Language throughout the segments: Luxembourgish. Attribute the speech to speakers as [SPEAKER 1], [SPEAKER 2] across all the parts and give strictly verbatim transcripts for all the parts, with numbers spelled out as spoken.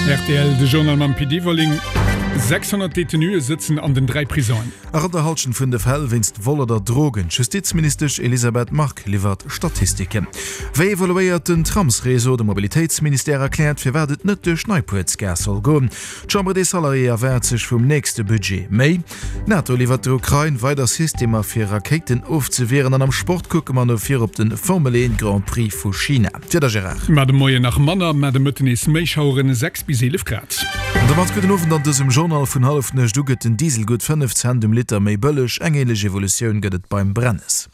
[SPEAKER 1] Rtl, De Journal mam Pit Everling. sechshonnert Detenuë sëtzen an den dräi Prisongen.
[SPEAKER 2] A ronn der Hallschent vun de Fäll wéinst Vol oder Drogen. D'Justizministesch Elisabeth Margue liwwert Statistiken. Wéi evoluéiert den Tramsreseau? De Mobilitéitsministère erkläert, firwat et net duerch Neipuertsgaass soll goen. D'Chambre des Salariés erwaart sech vum nächste Budget méi. D'NATO liwwert der Ukrain weider Systemer fir Rakéiten ofzewieren an am Sport kucke mer no vir op de Formel een Grand Prix vu China. D'Wieder, Gérard.
[SPEAKER 1] Mar de Moien nach manner, mar de Mëtten nees méi Schaueren, sechs bis eelef Grad.
[SPEAKER 2] An domat gudden Owend an dësem Journal. Vun hallef nuecht u gëtt den Diesel gutt fënnef Cent um Liter méi bëlleg. Eng änlech Evolutioun gëtt et beim Brennes.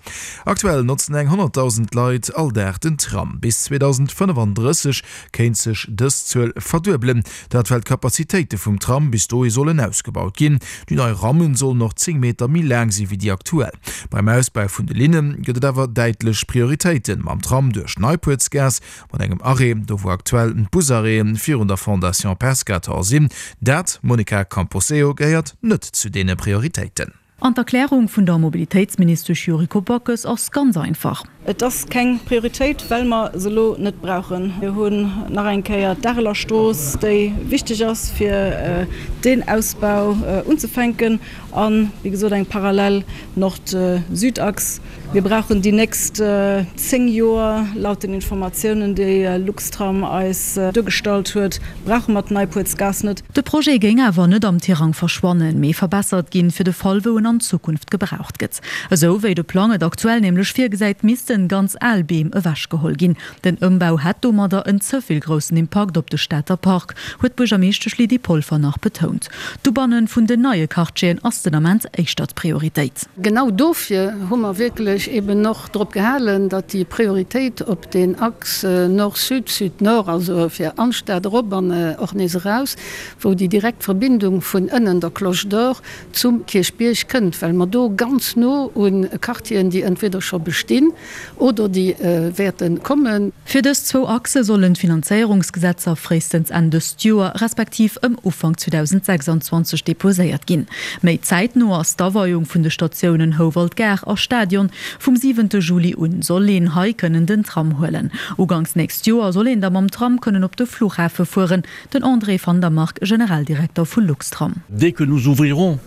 [SPEAKER 2] Aktuell notzen eng honnertdausend Leit all Dag den Tram. Bis zweedausendfënnefandrësseg kéint sech dës Zuel verduebelen. Dat well d'Kapazitéite vum Tram bis dohi sollen ausgebaut ginn. Déi nei Rammen sollen och zéng Meter méi laang si wéi déi aktuell. Beim Ausbau vun de Linne gëtt et awer däitlech Prioritéiten. Mam Tram duerch d'Neipuertsgaass, mat engem Arrêt do wou aktuell d'Busarrêten virun der Fondation Pescator sinn. Dat, Monica Camposeo, gehéiert net zu deene Prioritéiten.
[SPEAKER 3] An d'Erklärung vun der Mobilitéitsministesch Yuriko Backes ass ganz einfach.
[SPEAKER 4] Et ass keng Prioritéit, well mer se elo net brauchen. Mir hunn nach eng Kéier d'Areler Strooss, déi wichteg ass, fir deen Ausbau unzefänken an, wéi gesot, eng parallel Nord-Süd-Achs. Mir brauchen déi nächst zéng Joer, laut den Informatiounen, déi Luxtram eis duergestallt huet, brauche mer d'Neipuertsgaass net.
[SPEAKER 3] De Projet géing awer net am Tirang verschwannen, mee verbessert ginn, fir de Fall wou en an Zukunft gebraucht gëtt. Esou wéi de Plang et aktuell nämlech virgesäit, missten ganz al Beem ewechgeholl ginn. Den Ëmbau hätt domadder en ze vill groussen Impakt op de Stater Park, huet d'Buergermeeschtesch Lydie Polfer nach betount. D'Ubanne vun den neie Quartieren ass den Ament éischter d'Prioritéit.
[SPEAKER 5] Genau dofir hu mer wierklech eben och drop gehalen, datt déi Prioritéit op deen Axe Nord-Sud, Sud-Nord, also fir an d'Stad erop an och nees eraus, wou déi direkt Verbindung vun ënnen der Cloche d'Or zum Kierchbierg kënnt, well mer do ganz no u Quartieren, déi entweder scho bestinn oder déi wäerte kommen.
[SPEAKER 3] Fir dës zwou Achse sollen d'Finanzéierungsgesetzer fréistens Enn dëst Joer, respektiv ëm Ufank zweedausendsechsanzwanzeg deposéiert ginn. Méi zäitno ass d'Aweiung vun de Statiounen Houwald Gare a Stadion. Vum siwente Juli un soll een hei kënnen den Tram huelen. Uganks nächst Joer soll een da mam Tram kënnen op de Fluchhafe fueren. Den André van der Mark, Generaldirekter vu Luxtram.
[SPEAKER 6] Dès que nous ouvrirons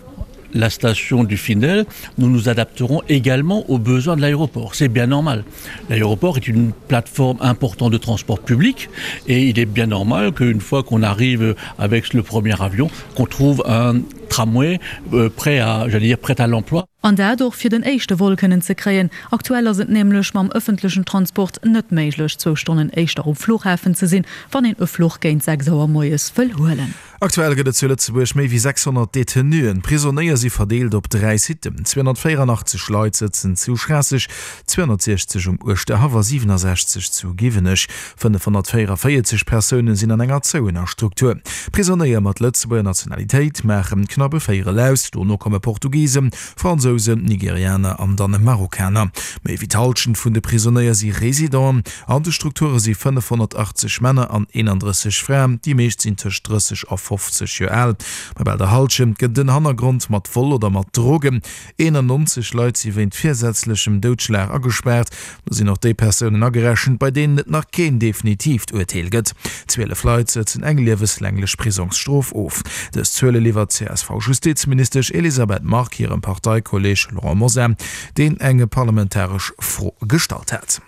[SPEAKER 6] la station du Findel, nous nous adapterons également aux besoins de l'aéroport. C'est bien normal. L'aéroport est une plateforme importante de transport public et il est bien normal qu'une fois qu'on arrive avec le premier avion, qu'on trouve un tramway euh, prêt à, j'allais dire, prêt à l'emploi.
[SPEAKER 3] An dat och fir den éischte Vol kënnen ze kréien. Aktuell ass et nämlech mam ëffentlechen Transport net méiglech, zwou Stonnen éischter um Fluchhafen ze sinn, wann een e Fluch géint sechs Auer moies wëll huelen.
[SPEAKER 2] Aktuell gëtt et zu Lëtzebuerg méi wéi sechshonnert Detenuen. D'Prisonéier si verdeelt op dräi Sitten. zweehonnertvéierunachtzeg Leit sëtzen zu Schraasseg, zweehonnertsiechzeg um Uerschterhaff a siwenasechzeg zu Giwenech. fënnefhonnertvéierunvéierzeg Persoune sinn an enger zouener Struktur. Prisonéier mat Lëtzebuerger Nationalitéit maachen knapp e Véierel aus, dono komme Portugisen, Fransousen, Nigerianer an dann Marokkaner. Méi wéi d'Hallschent vun de Prisonéier si Residenten. An de Strukture si fënnefhonnertachtzeg Männer an eenandrësseg Fraen, déi meescht sinn tëscht drësseg a fofzeg Joer al. Bei bal der Hallschent gëtt en Hannergrond mat Vol oder mat Drogen. Eenannonzeg Leit si wéint virsätzlechem Doudschlag agespaart. Do sinn och déi Persounen agerechent, bei deenen et nach keen definitiivt Urteel gëtt. Zwielef Leit sëtzen eng lieweslänglech Prisongsstrof of. Dës Zuele liwwert d'C S V-Justizministesch Elisabeth Margue hirem Parteikolleeg Laurent Mosar, deen eng parlamentaresch Fro gestallt hat.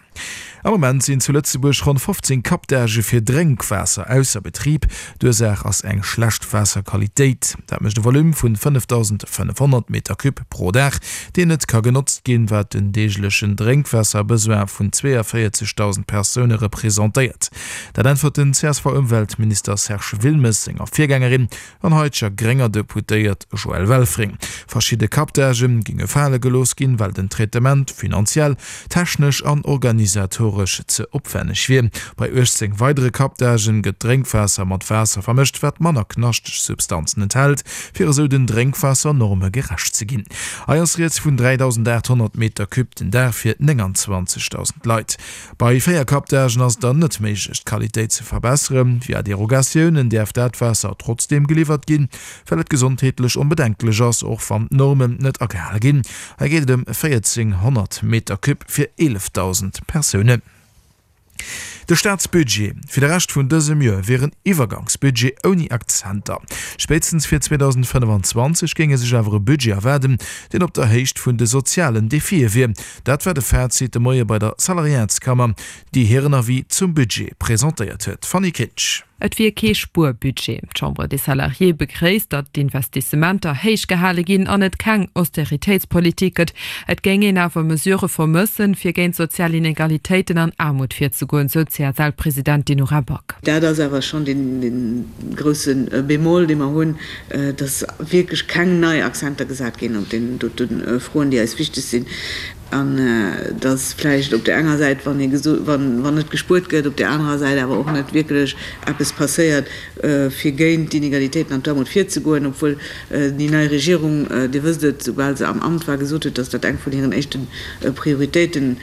[SPEAKER 2] Am Moment sinn zu Lëtzebuerg ronn fofzéng Captagë fir Drénkwaasser ausser Betrib. D'Ursaach ass eng schlecht Waasserqualitéit. Dat mécht e Volume vun fënnefdausendfënnefhonnert Meter Cube pro Dag, deen net ka genotzt ginn, wat den deeglechen Drénkwaasserbesoin vun zweeënvéierzegdausend Persoune representéiert. Dat äntwert den C S V-Ëmweltminister Serge Wilmes senger Virgängerin an haiteger grénger Deputéiert Joëlle Welfring. Verschidde Captagë géinge fale gelooss ginn, well den Traitement finanziell, technesch an organisatoresch ze opwänneg wier. Bei uechtzéng weidere Captagen gëtt d'Drénkwaasser mat Waasser vermëscht, wat manner knaschteg Substanzen enthält, fir esou den Drénkwaassernorme gerecht ze ginn. Hei ass rieds vun dräidausendaathonnert Meter Cube den Dag fir nénganzwanzegdausend Leit. Bei véier Captagen ass et dann net méiglech, d'Qualitéit ze verbesseren. Via Derogatiounen däerf dat Waasser trotzdeem geliwwert ginn, well et gesondheetlech onbedenklech ass, och wann d'Normen net agehale ginn. Hei geet et ëm véierzénghonnert Meter Cube fir eelefdausend Persounen. De Staatsbudget fir de Rescht vun dësem Joer wier en Iwwergangsbudget ouni Akzenter. Spéitstens fir zweedausendfënnefanzwanzeg géing ee sech awer e Budget erwaarden, deen op der Héicht vun de sozialen Defie wier. Dat war de Fazit de Moie bei der Salariatskammer, déi hiren Avis zum Budget presentéiert huet. Fanny Kinsch.
[SPEAKER 7] Et wier kee Spuerbudget. D'Chambre des Salariés begréisst, datt d'Investissementer héich gehale ginn an et keng Austeritéitspolitik gëtt. Et géing een awer Mesurë vermëssen, fir géint sozial Inegalitéiten an Aarmut virzegoen, sou d'CSL-Presidentin Nora Back.
[SPEAKER 8] Dat ass awer schonn dee grousse Bémol, dee mer hunn, datt wierklech keng nei Akzenter gesat ginn op deenen dote Froen, déi eis wichteg sinn. An dass vläicht op där enger Säit, wann ee wann net gespuert gëtt, op där anerer Säit awer och net wierklech eppes passéiert, fir géint d'Inegalitéiten an d'Aarmut virzegoen, obwuel déi nei Regierung, Dir wësst et, soubal se am Amt war, gesot huet, dass dat eng vun hiren éischte Prioritéiten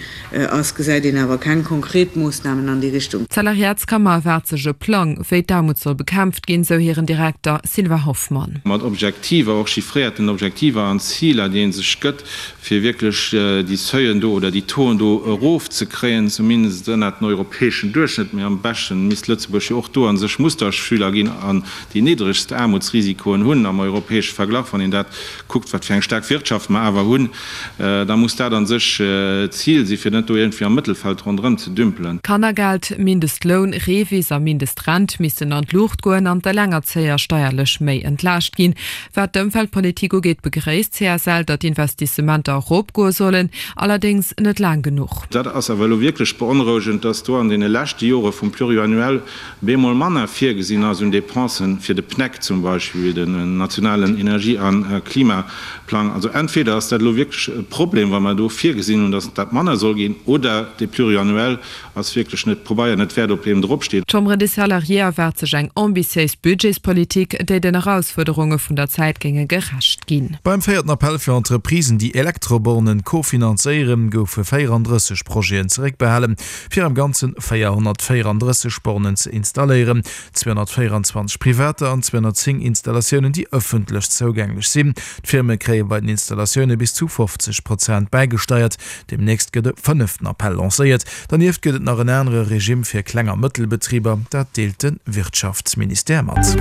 [SPEAKER 8] ass, gesäit een awer keng konkret Moossnamen an déi Richtung.
[SPEAKER 7] D'Salariatskammer erwaart sech e Plang, wéi d'Aarmut soll bekämpft ginn, sou hiren Direkter Sylvain Hoffmann.
[SPEAKER 9] Mat Objektiver, och chiffréierten Objektiver an Ziler, déi ee sech gëtt, fir wierklech déi Seuilen do oder déi Tauxen do erofzekréien, zumindest ënnert den europäeschen Duerchschnëtt, mee am beschten misst Lëtzebuerg jo och do a sech Musterschüler ginn an déi niddregst Aarmutsrisikoen hunn am europäesche Verglach. Wann een dat kuckt, wat fir eng staark Wirtschaft mer awer hunn, da muss dat a sech d'Zil sinn, fir net do iergendwéi am Mëttelfeld ronderëm ze dümpelen.
[SPEAKER 7] Kannergeld, Mindestloun, REVIS a Mindestrent missten an d'Luucht goen an d'Elengerzéier steierlech méi entlaascht ginn. Wat d'Ëmweltpolitik ugeet, begréisst d'CSL, datt d'Investissementer eropgoe sollen, allerdéngs net laang genuch.
[SPEAKER 9] Dat ass awer elo wierklech beonrouegend, datt do an deene leschte Jore vum Pluriannuel bemol manner virgesinn ass un Dépensen fir de PNEC zum Beispill, den nationalen Energie a Klimaplang. Also entweder ass dat elo wierklech e Problem, wa mer do virgesinn hunn, datt dat manner soll ginn, oder dee Pluriannuel ass wierklech net Pobeier net wäert, op deem drop steet.
[SPEAKER 7] D'Chambre des Salariés erwaart sech eng ambitiéis Budgetspolitik, déi den Erausfuerderunge vun der Zäit géinge gerecht ginn.
[SPEAKER 2] Beim véierten Appell fir Entreprisen, déi Elektrobornen kofinanzéieren, goufe véierandrësseg Projeten zeréckbehalen, fir am Ganze véierhonnertvéierandrësseg Bornen ze installéieren, zweehonnertvéieranzwanzeg privater an zweehonnertzéng Installatiounen, déi ëffentlech zougänglech sinn. D'Firme kréie bei den Installatioune bis zu fofzeg Prozent bäigesteiert. Deemnächst gëtt e fënneften Appell lancéiert. Dernieft gëtt et nach en anere Regime fir Kleng a Mëttelbetriber, dat deelt de Wirtschaftsministère mat.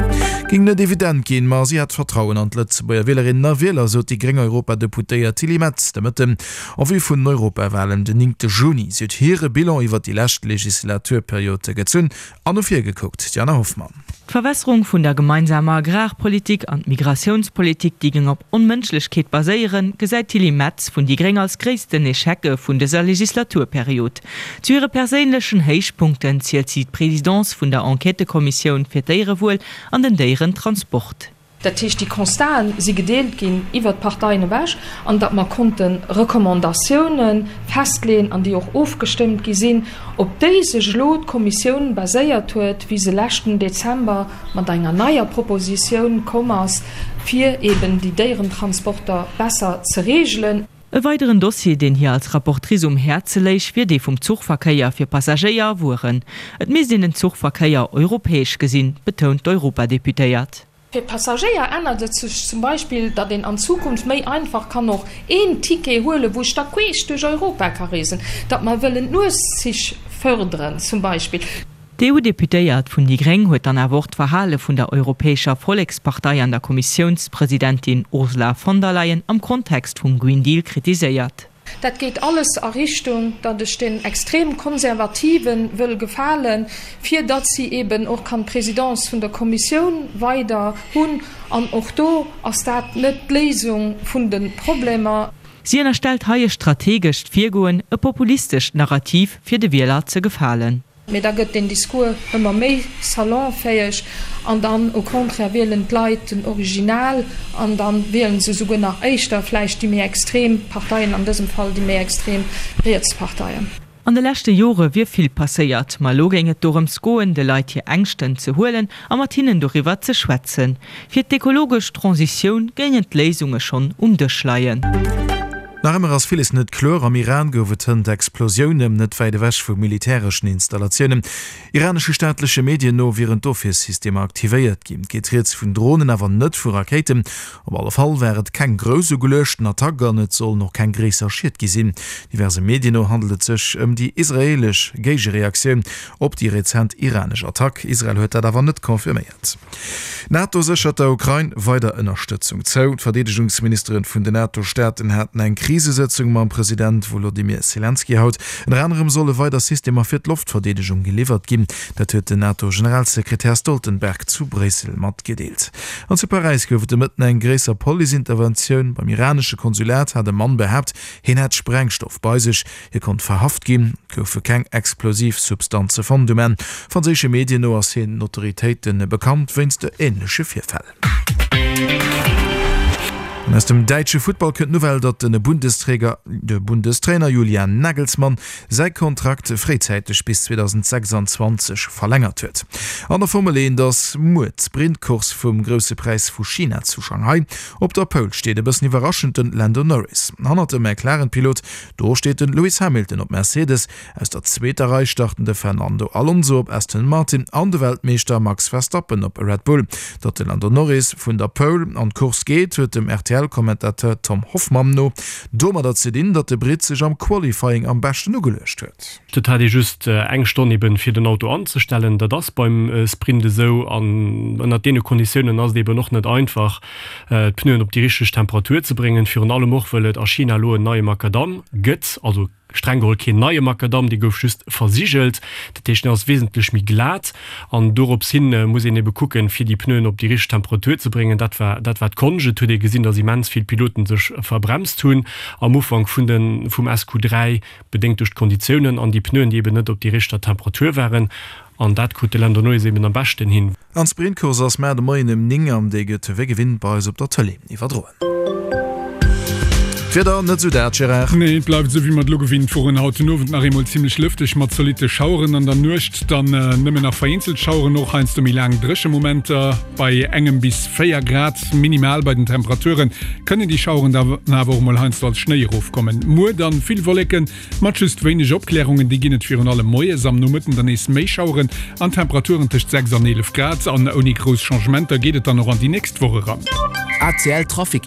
[SPEAKER 2] Géing net evident ginn, ma si hätt Vertrauen an d'Lëtzebuerger Wielerinnen a Wieler, sot déi gréng Europadeputéiert Tilly Metz de Mëtten en vue vun den Europawalen den néngte Juni. Si huet hire Bilan iwwer déi lescht Legislaturperiod gezunn an no vir gekuckt. D'Jana Hoffmann.
[SPEAKER 10] D'Verwässerung vun der gemeinsamer Agrarpolitik an d'Migratiounspolitik, déi géing op Onmënschlechkeet baséieren, gesäit d'Tilly Metz vun déi gréng als gréissten Echecke vun dëser Legislaturperiod. Zu hire perséinlechen Héichpunkten zielt si d'Presidence vun der Enquêtëkommissioun fir d'Déierewuel an den Déierentransport.
[SPEAKER 11] Dat heescht, déi Constaten si gedeelt ginn iwwert d'Parteien ewech an datt mer konnte Recommandatioune festleeën an déi och ofgestëmmt gi sinn, op déi sech elo d'Kommissioun baséiert huet, wéi se leschten Dezember mat enger neier Propositioun komm ass, fir eben déi Déierentransporter besser ze regelen.
[SPEAKER 10] E weideren Dossier, deen hir als Rapportrice um Häerze léich, wier dee vum Zuchverkéier fir Passagéier a Wueren. Et misst een den Zuchverkéier europäesch gesinn, betount d'Europadeputéiert.
[SPEAKER 11] Fir d'Passagéier ännert et sech zum Beispill, datt een an Zukunft méi einfach kann och een Ticket huelen, wou ech da queesch duerch Europa ka reesen, datt mer wëllen d'Nuetszich fërderen zum Beispill.
[SPEAKER 10] D'EU-Deputéiert vun déi gréng huet dann awer och d'Verhale vun der Europäescher Vollekspartei an der Kommissiounspresidentin Ursula von der Leyen am Kontext vum Green Deal kritiséiert.
[SPEAKER 11] Dat geet alles a Richtung, datt ech den extrem Konservative wëll gefalen, fir datt si eben och kann d'Présidence vun der Kommissioun weider hunn. An och do ass dat net d'Léisung vun de Problemer.
[SPEAKER 10] Si ënnerstellt hei e strategescht Virgoen, e populistescht Narrativ, fir de Wieler ze gefalen.
[SPEAKER 11] Mee da gëtt deen Discours ëmmer méi salonfäeg an dann au contraire wielen d'Leit den Original an da wielen se esouguer nach éischter vläicht déi méi extrem Parteien, an dësem Fall déi méi extrem riets Parteien.
[SPEAKER 10] An de leschte Jore wier vill passéiert, ma elo géing et dorëms goen, de Leit hir Ängschten ze huelen a mat hinnen doriwwer ze schwätzen. Fir d'ekologesch Transitioun géingen d'Léisunge schonn um Dësch leien.
[SPEAKER 2] Nach ëmmer ass villes net kloer. Am Iran gouf et hënt Explosiounen net wäit ewech vu militäreschen Installatiounen. Iranesche staatleche Medien no wieren d'Ofwiersystemer aktivéiert ginn. Et geet rieds vun Dronen, awer net vu Rakéiten. Op alle Fall war et keng grouss ugeluechten Attack an et sollen och keng gréisser Schied gi sinn. Diverse Medien no handelt et sech ëm déi israeelesch Géigereaktioun op déi rezent iranesch Attack. Israel huet dat awer net confirméiert. D'NATO séchert der Ukrain weider Ënnerstëtzung zou. D'Verdeedegungsministere vun den NATO-Staaten haten eng Krisesëtzung mam President Wolodymyr Selenskyj haut. Ënner anerem solle weider Systemer fir d'Loftverdeedegung geliwwert ginn. Dat huet den NATO-Generalsekretär Stoltenberg zu Bréissel matgedeelt. An zu Paräis gouf et de Mëtten eng gréisser Police-Interventioun. Beim iranesche Konsulat hat e Mann behaapt, hien hätt Sprengstoff bei sech. Hie konnt verhaft ginn. Et goufe keng explosiv Substanze fonnt um Enn. Franséische Medien no ass hien den Autoritéite bekannt wéinst änleche Virfäll. An aus dem däitsche Futtball kënnt d'Nouvelle, datt de Bundesträger, de Bundestrainer Julian Nagelsmann säi Kontrakt fréizäiteg bis zweedausendsechsanzwanzeg verlängert huet. An der Formel eent ass muer d'Sprintcourse vum Grousse Präis vu China zu Shanghai. Op der Pole steet e bëssen iwwerraschend den Lando Norris. Hannert dem McLaren-Pilot do steet den Lewis Hamilton op Mercedes. Aus der zweeter Rei starten de Fernando Alonso op Aston Martin an de Weltmeeschter Max Verstappen op Red Bull. Datt de Lando Norris vun der Pole an d'Course geet, huet dem R T L-Commentateur Tom Hoffmann no domadder ze dinn, datt de Britt sech am Qualifying am beschten ugeluecht huet.
[SPEAKER 12] Et hat ee just eng Stonn eben fir den Auto anzestellen. Dat ass beim Sprint esou an ënnert deene Konditiounen ass et eben och net einfach, d'Pneuen op déi richteg Temperatur ze bréngen. Virun allem och wëll et a China elo en neie Makadamm gëtt, also streng geholl keen neie Makadamm, dee gouf just versigelt, dat heescht en ass wesentlech méi glat an dorops hin muss een ebe kucken, fir déi Pneuen op déi richteg Temperatur ze bréngen. Dat war dat war d'Konscht. Et huet ee gesinn, datt immens vill Piloten sech verbremst hunn am Ufank vun de vum S Q dräi, bedéngt duerch d'Konditiounen an déi Pneuen, déi eben net op déi richter Temperatur waren. An dat krut de Lando Norris eben am beschten hin.
[SPEAKER 2] An d'Sprintcourse ass mar de Moien ëm néng an déi gëtt wéi gewinnt bei eis op der Tëlee iwwerdroen. D'Wieder net sou dat, Gérard?
[SPEAKER 1] Nee, et bleift esou wéi mer et elo gewinnt woren. Haut den Owend nach eemol zimmlech lëfteg mat zolitte Schaueren, an der Nuecht dann nëmmen nach vereenzelt Schaueren, och heiansdo méi laang dréche Momenter. Bei engem bis véier Grad minimal bei den Temperaturen kënnen déi Schaueren dann awer och mol heiansdo als Schnéi erofkommen. Muer dann vill Wolleken mat just wéineg Opklärungen, déi ginn et virun allem moies, am Nomëtten dann nees méi Schaueren an Temperaturen tëscht sechs an eelef Grad. An ouni grouss Changementer geet et dann och an déi nächst Woch eran.
[SPEAKER 13] A C L Trafic.